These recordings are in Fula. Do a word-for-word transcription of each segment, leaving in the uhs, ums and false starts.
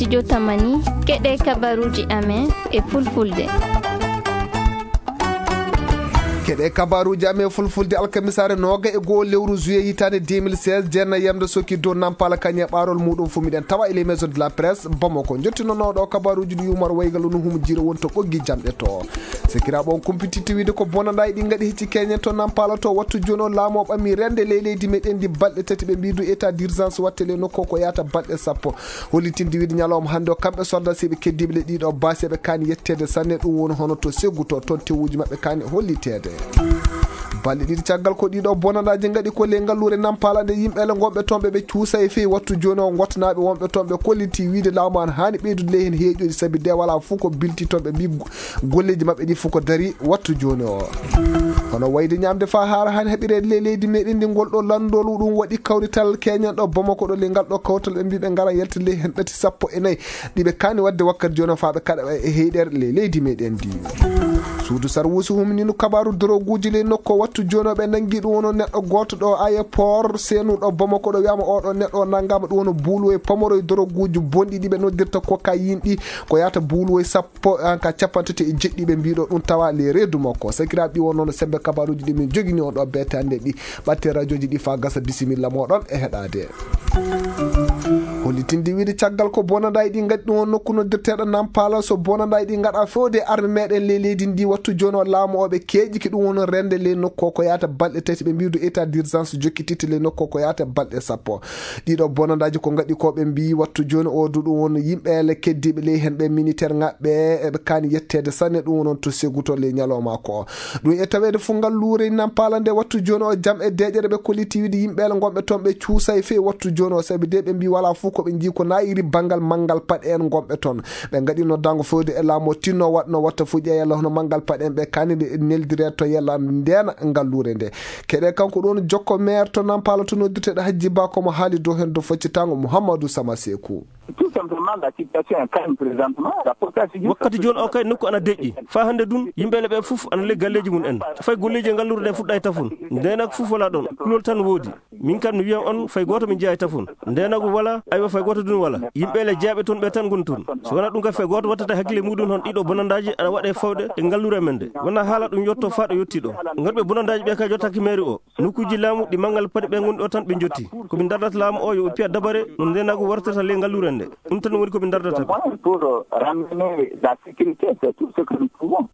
Jotamani, keɗe kabaruuji amen e fulfulde. Keɗe kabaruuji amen e fulfulde alkamisaare nooga e goo lewru juillet hitaande deux mille seize, jeenna yamde sokki dow Nampala Kañe ɓaarol muuɗum fu miɗen tawa e les maisons de la presse Bamako. Njottinonooɗo kabaruuji ɗi Umar Waygal no humo jiira wonto ɓoggi jamɗe to. Sekiraaɓe on kumpititti wiide ko bonanɗaaji ɗi ngaɗi hecci keñen to Nampala to wattu jooni o laamu o ɓami rende ley leydi meɗen ndi balɗe tati ɓe mbiidu état d'urgence watte ley nokku o ko yaata balɗe sappo. Hollitinde wiide ñalawma hannde o kamɓe soldasiiɓe keddiiɓe le ɗiɗo baasi eɓe kaani yetteede sanne ɗum woni hono to seggu to toon tewuuji maɓɓe kaani holliteede. Balɗe ɗiɗi caggal ko ɗiɗo bonanɗaaji ngaɗi ko ley ngalluure Nampala nde yimɓe le ngonɓe toon ɓe ɓe cuusa e fii wattu jooni o ngottanaaɓe wonɓe toon ɓe kolliti wiide laamu an haani ɓeydude ley heen heeƴoji sabi de wala fof ko bilti toon ɓe mbi golleeji maɓɓe ɗi fof ko dari wattu jooni o. Hono wayde ñaamde faa haara han heɓireede ley leydi meɗen ndi ngol ɗo lanndol ɗum waɗi kawrital keñen ɗo Bamako ɗo ley ngal ɗo kawtal ɓe mbi ɓe ngara yalta ley heen ɗati sappo e nayi ɗi ɓe kaani waɗde wakkati jooni o faa ɓe kaɗa e heyɗere ley leydi meɗen ndi. Suudu sarwuusi huminino kabaaru doroguuji ley nokku o wattu jooni o ɓe nanngi ɗum wono neɗɗo gooto ɗo aéroport seenu ɗo Bamako ɗo wiyama oɗo neɗɗo o nanngama ɗum wono buuluwo e pamoro e doroguuji bonɗi ɗi ɓe noddirta cocaïne ɗi ko yahata buuluwo e sappo ko an ka capanɗe tati e jeɗɗi ɓe mbiɗo ɗum tawa le reedu makko. Sakiraaɓe ɗi wonno no sembe kabaruuji ɗi min jogini on ɗo beete hannde ɗi ɓatte radioji ɗi faa gasa bisimilla moɗon e heɗaade. Hollitinde wiide caggal ko bonanɗaaji ɗi ngaɗi ɗum on nokku noddirteeɗo Nampala so bonanɗaaji ɗi ngaɗa fewde arme meɗen ley leydi ndi wattu jooni o laamu o ɓe keeƴi ki ɗum woni rende ley nokku o ko yaata balɗe tati ɓe mbiidu état d'urgence jokkititte ley nokku o ko yaata balɗe sappo. Ɗiɗo bonandaaji ko ngaɗi ko ɓe mbiyi wattu jooni o du ɗum won yimɓe le keddiiɓe ley heen ɓe militaire ngaɓɓe eɓe kaani yetteede sanne ɗum wonon to seguto ley ñalawma ko ɗum e taweede fof ngal luure Nampala nde wattu jooni o jam e deeƴere ɓe kolliti wiide yimɓe le ngonɓe toon ɓe cuusa e fee wattu jooni o sabi de ɓe mbi wala fof ko ɓe njii ko naayiri banngal manngal paɗe en ngonɓe toon ɓe ngaɗi noddaango fewde e laamu o tinno waɗno watta fof ƴeeya yalla hono manngal paɗe en ɓe kaani nde neldire to yalla ndeena ngal luure nde keɗe kanko ɗon jokko maire to Nampala to noddirteɗo Hajji Ba komo haali dow heen dow faccitango Mouhamadou Sama Sekou. Tout simplement, la situation est calme présentement. La population wakkati jooni o kay nokku ana deƴƴi faa hannde dun yimɓe le ɓe fof ana le galleeji mum en fay golleeji e ngallure nde fuɗɗa e tafon ndeenak fof wala ɗon kulol tan woodi min kam mi wiyan on fay gooto min jeyaa e tafon ndeenagu wala aywa fay gooto dun wala yimɓe le jeyaɓe toon ɓe tan ngoni toon so wona ɗum kay fay gooto wattata hakkille muɗum hon ɗiɗo bonandaaji ana waɗe fawde e ngallure men nde wona haala ɗum yotto faa ɗo yotti ɗo ngarɓe bonandaaji ɓe kay yottaki mairie o nokkuuji laamu ɗi manngal paɗi ɓe ngonɗo tan ɓe njotti ko min dardata laamu o yo ɓe piya dabare no ndenagu wartata ley ngalluren nde ɗum tan woni ko min dardata ɓe. Pour ramener la sécurité, c'est tout ce que nous pouvons.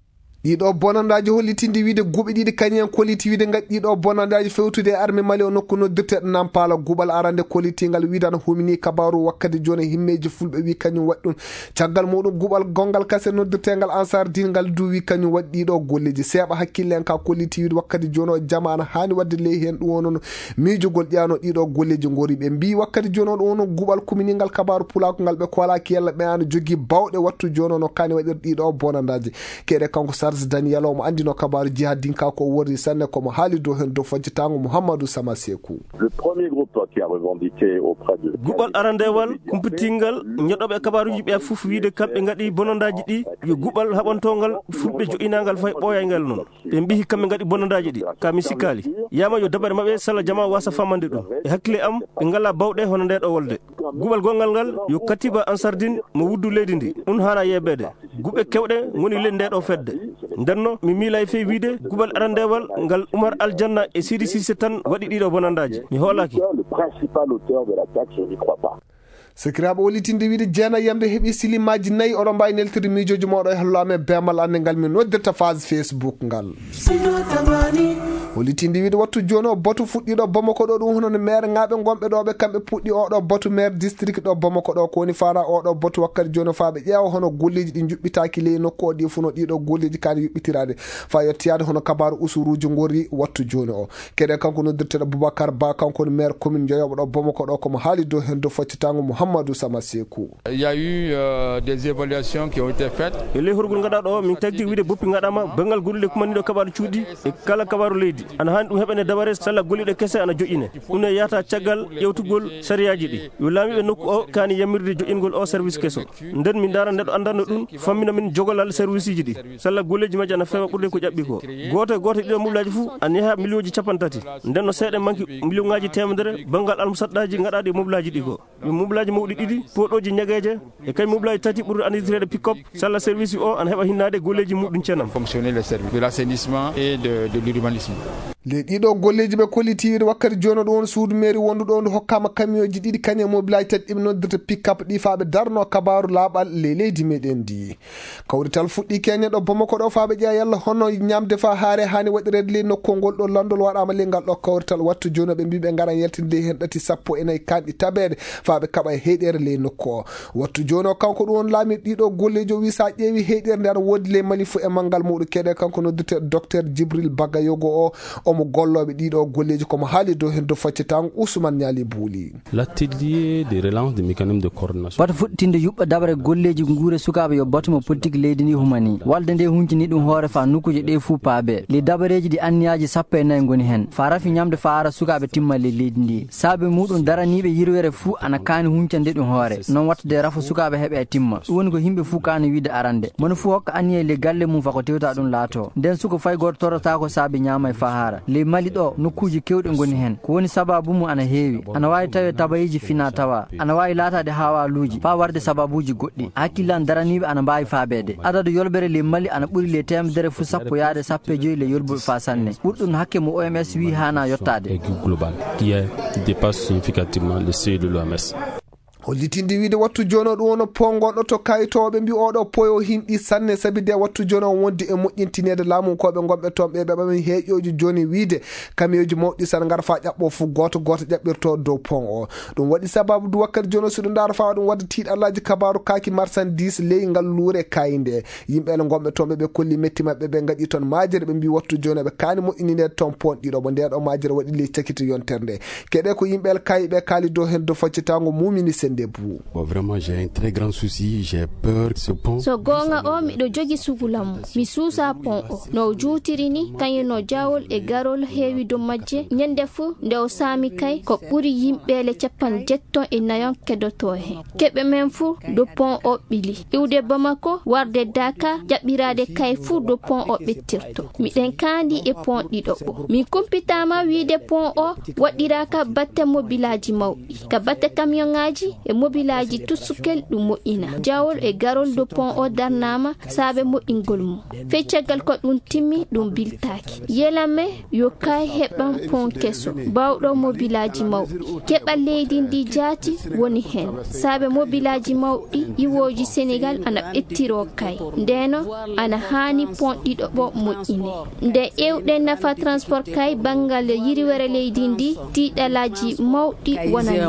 Ɗiɗo bonandaaji hollitinde wiide guuɓi ɗiɗi kañum en kolliti wiide ngaɗi ɗiɗo bonandaaji fewtude e arme mali o nokku noddirteɗo Nampala guuɓal arande kollitingal wiidano humini kabaru wakkati jooni himmeeji fulɓe wi kañum waɗi ɗum caggal muɗum guɓal gongal kase noddirtengal ansar din ngal duwi kañum waɗi ɗiɗo golleji seeɓa hakkille en ka kolliti wiide wakkati jooni o jamaana haani wadde ley heen ɗum wonono miijogol ƴaano ɗiɗo golleji ngori ɓe mbi wakkati jooni o ɗum wono guɓal kuminingal kabaru pulako ngal ɓe kolaki yalla ɓe ana jogii bawɗe wattu jooni o no kaani waɗir ɗiɗo bonandaji keɗe kanko sarge daniel omo andino kabaru jihadinka ko worri sanne komo haali dow heen dow fojjatango mouhammadou sama sekou. Le premier groupe qui a revendiqué auprès de guɓal arandewal kumpitingal ñoɗoɓe kabaruji ɓe fof wiide kamɓe ngaɗi bonondaji ɗi yo guɓal haɓantongal fulɓe joɗɗinangal fay ɓooyaygal noon ɓe mbihi kamɓe ngaɗi bonondaji ɗi ka mi sikkaali yama yo dabare maɓɓe salla jama wasa famande ɗum e hakkille am ɓe ngala bawɗe hono nde ɗo wolde guɓal gongal ngal yo katiba ansardin mo wuddu leydi ndi ɗum hana yeɓede guɓe kewɗe ngoni ley nde ɗo fedde ndenno mi miila e fey wiide guɓal arandewal ngal umar aljanna e sidi sise tan waɗi ɗiɗo bonandaji mi hoolaki. Le principal auteur de la taxe, je n'y crois pas. Sakiraaɓe wallitinde wiide jeenayi yamde heɓi silimaaji nayi oɗon mbaawi neltirde miijooji mooɗo e hallo amen beemal annde ngal min noddirta phase facebook ngal. Wallitinde wiide wattu jooni o batu fuɗɗiiɗo bamako ɗo ɗum hono no maire ŋaaɓe ngonɓe ɗo ɓe kamɓe puɗɗi oɗo batu maire district ɗo bamako ɗo ko woni faala oɗo batu wakkati jooni o faaɓe ƴeewa hono golleeji ɗi njuɓɓitaaki ley nokku o ɗi funo ɗiɗo golleeji kaani yuɓɓitiraade faa yettiyaade hono kabaaru usuruuji ngori wattu jooni o keɗe kanko noddirteɗo boubacar ba kanko woni maire commune joyoɓo ɗo bamako ɗo komo haali dow heen dow faccitango mouhammadou sama sekou. Il y a eu euh, des évaluations qui ont été faites. E ley horgol ngaɗaɗo o min tagti wiide boppi ngaɗama bangal gollude kumandiɗo kabaru cuuɗi e kala kabaru leydi ana hani ɗum heɓane dabare salla golluɗe kese ana joƴƴine ɗum e yahata caggal ƴewtugol sariyaji ɗi yo laamiɓe nokku o kaani yamirde joƴƴingol o service keso nden min ndaara neɗɗo anndanno ɗum fammina min jogolal serviceji ɗi salla golleji majji ana feewa ɓurde ko ƴaɓɓi ko gooto e gooto ɗiɗo moblaji fof ana yaha millionji capanɗe tati nden no seeɗa manki milliongaji temedere banngal almusadɗaji gaɗaɗi e moblaji ɗi ko yo moblaji Mawɗi ɗiɗi, poɗooji ñageeje, e kay mobilaaji tati ɓurɗo anndirteede pick-up, salla service o ana heɓa hinnaade golleeji muɗum cenam. Fonctionner les services de l'assainissement et de, de l'urbanisme. Le ɗiɗo golleeji ɓe kolliti wakkati jooni ɗo on suudu mairie wonduɗo on hokkaama kamiyooji ɗiɗi kañe mobilaaji tati ɗiɓe noddirta pick-up ɗi faaɓe darno kabaaru laaɓal le leydi meɗen ndi. Kawrital fuɗɗi keñe ɗo Bamako ɗo faaɓe ƴeewa yalla hono ñamde fa haare hani waɗireede le nokku ngol ɗo landol waɗaama le ngal ɗo kawrital wattu jooni ɓe mbiɓe ngaran yaltinde heen ɗati sappo e nayi kanɗi tabeede faaɓe kaɓa e heyɗeere le nokku o. Wattu jooni o kanko ɗum on laami ɗiɗo golleejo wi sa ƴeewi heyɗeere nde ana woodi le mali fu e manngal muɗum keɗe kanko noddirte docteur Djibril Bagayogo o omo gollooɓe ɗiɗo golleeji komo haali dow heen dow faccetango Ousmane Niali Bouli. L'atelier de relance des mécanismes de coordination. Wata fuɗɗitinde yuɓɓa daɓre golleeji nguure sukaaɓe yo batu mo politique leydi ndi humani. Walde nde huncini ɗum hoore faa nokkuuje ɗe fuu paabe. Le dabareeji ɗi anniyaaji sappo e nayi ngoni heen. Faa rafi ñamde faa ara sukaaɓe timmalle leydi ndi. Saabe muɗum daraniiɓe yirwere fuu ana kaani huncande ɗum hoore. Non watta de rafa sukaaɓe heɓe e timma. Ɗum woni ko yimɓe fuu kaani wiide arande. Mono fuu hokka anniya le galle mum faa ko tewta ɗum laato. Nden suko fay gooto torrataako saabe ñaama e faa hara. Le Mali ɗo nokkuuji kewɗi ngoni heen. Ko woni sababu mum ana heewi. Ana waawi tawe tabayiiji fina tawa. Ana waawi laataade haawaaluuji faa warde sababuuji goɗɗi. Hakkillan daraniiɓe ana mbaawi faabeede. Adadu yolbere le Mali ana ɓuri le teemedere fu sappo yaade sappo e joyi le yolbuɓe faa sanne. Ɓurɗum hakke mo O M S wi haana yottaade. Aigu global, qui est, qui dépasse significativement le seuil de l'O M S. Hollitinde wiide wattu jooni o ɗum woni pongonɗo to kayitooɓe mbi oɗo poyo hinɗi sanne sabi de wattu jooni o wondi e moƴƴintineede laamu koɓe ngonɓe toon ɓe ɓe ɓamin heeƴooji jooni wiide kamiyooji mawɗi sana ngar faa ƴaɓɓo fu gooto gooto ƴaɓɓirto dow pon o. Ɗum waɗi sababu du wakkati jooni o si ɗum ndaara faa ɗum wadda tiiɗallaaji kabaaru kaaki marchandise ley ngal luure kayinde. Yimɓe ele ngonɓe toon ɓe ɓe kolli metti maɓɓe ɓe ngaɗi toon maajere ɓe mbi wattu jooni ɓe kaani moƴƴininde toon pon ɗiɗo mo ndeɗo maajere waɗi ley cakiti yontere nde. Keɗe ko yimɓe el kayi ɓe kaali dow heen dow faccitaango mumini sende buu. Bon, vraiment, j'ai un très grand souci, j'ai peur que ce pont. So goonga o, miɗo jogi sugulam. Mi suusa pon o. No juutiri ni, kañum no jawol e garol heewi dow majje. Ñande fuu, nde o saami kay, ko ɓuri yimɓeele capan jetton e nayon kedoto heen. Keɓe men fuu, dow pon o ɓili. Iwde Bamako, warde Dakar, ƴaɓɓiraade kay fuu dow pon o ɓettirto. Miɗen kaandi e pon ɗiɗo ɓo. Min kumpitaama wiide pon o waɗɗiraaka batte mobilaaji mawɗi. Ka batte kamiyongaaji e mobilaaji tussukel ɗum moƴƴina. Jawol e garol dow pon o darnaama saabe moƴƴingol mum. Feccagol ko ɗum timmi, ɗum biltaaki. Yelame yo kay heɓan pon keso, baawɗo mobilaaji mawɗi. Keɓal leydi ndi jaati woni heen. Saabe mobilaaji mawɗi, iwooji Senegal ana ɓettiroo kay. Ndeno ana haani pon ɗiɗo ɓo moƴƴine. Nde ƴeewɗen nafa transport kay banngal yiriwere leydi ndi, tiiɗalaaji mawɗi wonani.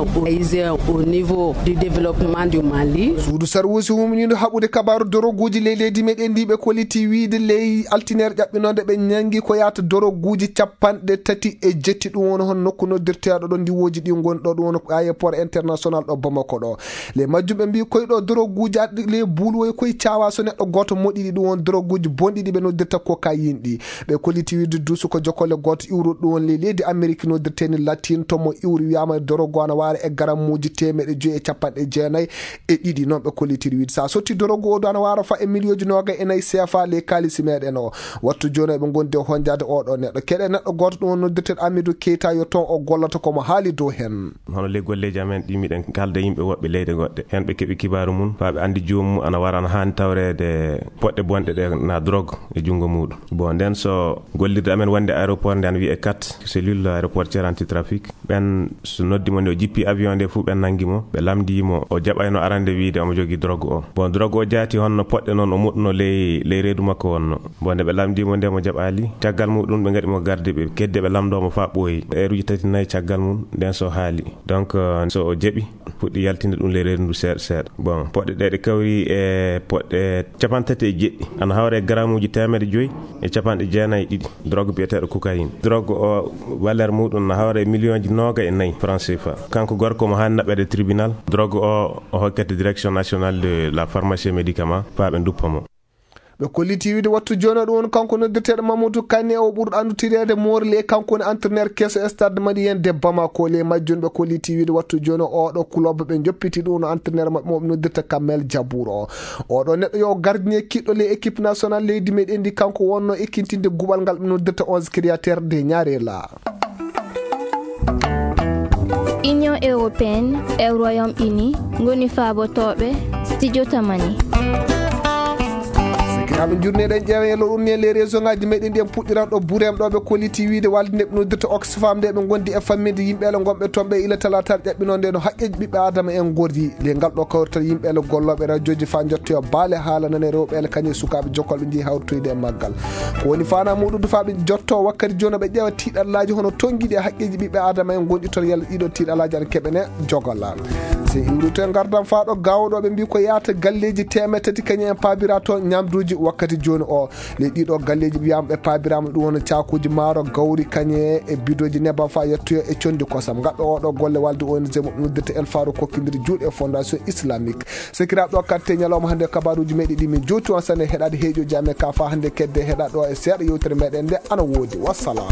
Au niveau du développement du Mali. Suudu sarwuusi humniindo haɓude kabaaru doroguuji ley leydi meɗen ndi ɓe kolliti wiide ley altineere ƴaɓɓinoonde ɓe ñanngi ko yaata doroguuji capanɗe tati e jetti ɗum woni hon nokku noddirteeɗo ɗo ndiwooji ɗi ngoni ɗo ɗum woni aéroport international ɗo Bamako ɗo. Le majjum ɓe mbi koye ɗo doroguuji arɗi le buuluwoye koye caawa so neɗɗo gooto moɗiɗi ɗum won doroguuji bonɗi ɗi ɓe noddirta cocaïne ɗi. Ɓe kolliti wiide duusu ko jokkole gooto iwruɗo ɗum won ley leydi Amérique noddirteeni Latine to mo iwri wiyaama dorogu ana waara e garammuuji teemeɗe joyi e capanɗe jeenayi e ɗiɗi. Noon ɓe kollitiri wiide so a sotti dorogu o du ana waara fa e miliyooji noogay e nayi C F A ley kaalisi meɗen o. Wattu jooni eɓe ngondi e honjaade oɗo neɗɗo. Keɗe neɗɗo gooto ɗum won noddirteɗo Amidou Keita yo toon o gollata ko mo haali dow heen. Hono ley golleeji amen ɗi miɗen kaalda yimɓe woɓɓe leyɗe goɗɗe. Heen ɓe keɓi kibaaru mum faa ɓe anndi joomum ana wara ana haani tawreede poɗɗe bonɗe ɗe na drogue e junngo muuɗum. Bon, nden so gollirde amen wonde aéroport nde ana wiyee kat cellule aéroportière anti-trafic, ɓen so noddi mo nde o jippi avion nde fof ɓen nanngi mo, ɓe lamndii mo o jaɓayno arande wiide omo jogii drogue o. Bon, drogue o jaati honno poɗɗe noon o moɗuno ley, ley reedu makko wonno. Bon, nde ɓe lamndii mo nde mo jaɓaali, caggal muuɗum ɓe ngaɗi mo garde ɓe kedde ɓe lamndoo mo faa ɓooyi. Eeruuji tati nayi caggal mum nden so haali. Donc, euh, so o jaɓi, fuɗɗi yaltinde ɗum ley reedu ndu seeɗa seeɗa. Bon, poɗɗe ɗe ɗe kawri e poɗɗe capanɗe tati e jeɗɗi. Ana hawra e garamuuji teemedde joyi e capanɗe jeenayi e ɗiɗi. Drogue biyeteeɗo cocaïne. Drogue o, valeur muuɗum na hawra e miliyonji noogay e nayi franc C F A. Kanko gorko mo haani naɓɓeede tribunal. Drogue o, o hokkete Direction Nationale de la Pharmacie et Médicament, faa ɓe nduppa mo. Ɓe kolliti wiide wattu jooni o ɗum woni kanko noddirteeɗo Mamadou Kane o ɓurɗo anndudireede Morli e kanko woni entraîneur keso e Stade Malien de Bamako. Ley majjum ɓe kolliti wiide wattu jooni o oɗo club ɓe njoppiti ɗum no entraîneur maɓɓe mo ɓe noddirta Kamel Jabour o. Oɗo neɗɗo yo gardien kiɗɗo ley équipe nationale leydi meɗen ndi kanko wonno ekkintinde guɓal ngal ɓe noddirta onze créateur de Ñaarela. Union européenne e Royaume-Uni ngoni faabotooɓe studio Tamani. Sikiraaɓe, njurneɗen ƴeewen e loɗon ni e les réseau ngaji meɗen ɗi. En puɗɗiran ɗo bureem ɗo ɓe kolliti wiide walde nde ɓe noddirta Oxfam nde ɓe gondi e famminde yimɓe ele gonɓe toon ɓe ila talataare ƴaɓɓinonde no haqqeji ɓiɓɓe adama en gorri. Le ngal ɗo kawrital yimɓe ele gollooɓe radioji fa jottoyo baale haala nane rewɓe ele kañum e sukaaɓe jokkolɓe jeeyi hawritoyde e maggal. Ko woni fana muɗum faaɓe jotto wakkati jooni ɓe ƴeewa tiiɗallaaji hono tongiɗi e haqqeji ɓiɓɓe adama en gonɗi toon yalla ɗiɗo tiiɗallaaji ana keɓene jogola. Se iwrito e ngardam faa ɗo gaawo ɗo ɓe mbi ko yaata galleeji teemeɗe tati kañum en paabira toon ñamduuji wakkati jooni o. Le ɗiɗo galleeji wiyama ɓe paabirama ɗum woni caakuuji maaro gawri kañum e bidoji nebam faa yettoyo e condi kosam. Ngaɗɗo oɗo golle walde O N G mo noddirta El Farouk kokkindiri juuɗe e fondation islamique. Sekiraaɓe, ɗo katte ñalawma hannde kabaruuji meɗen ɗi min jowti on sanne heɗaade heeƴoji amen ka faa hannde kedde heɗa ɗo e seeɗa yewtere meɗen nde ana woodi. Wassalam.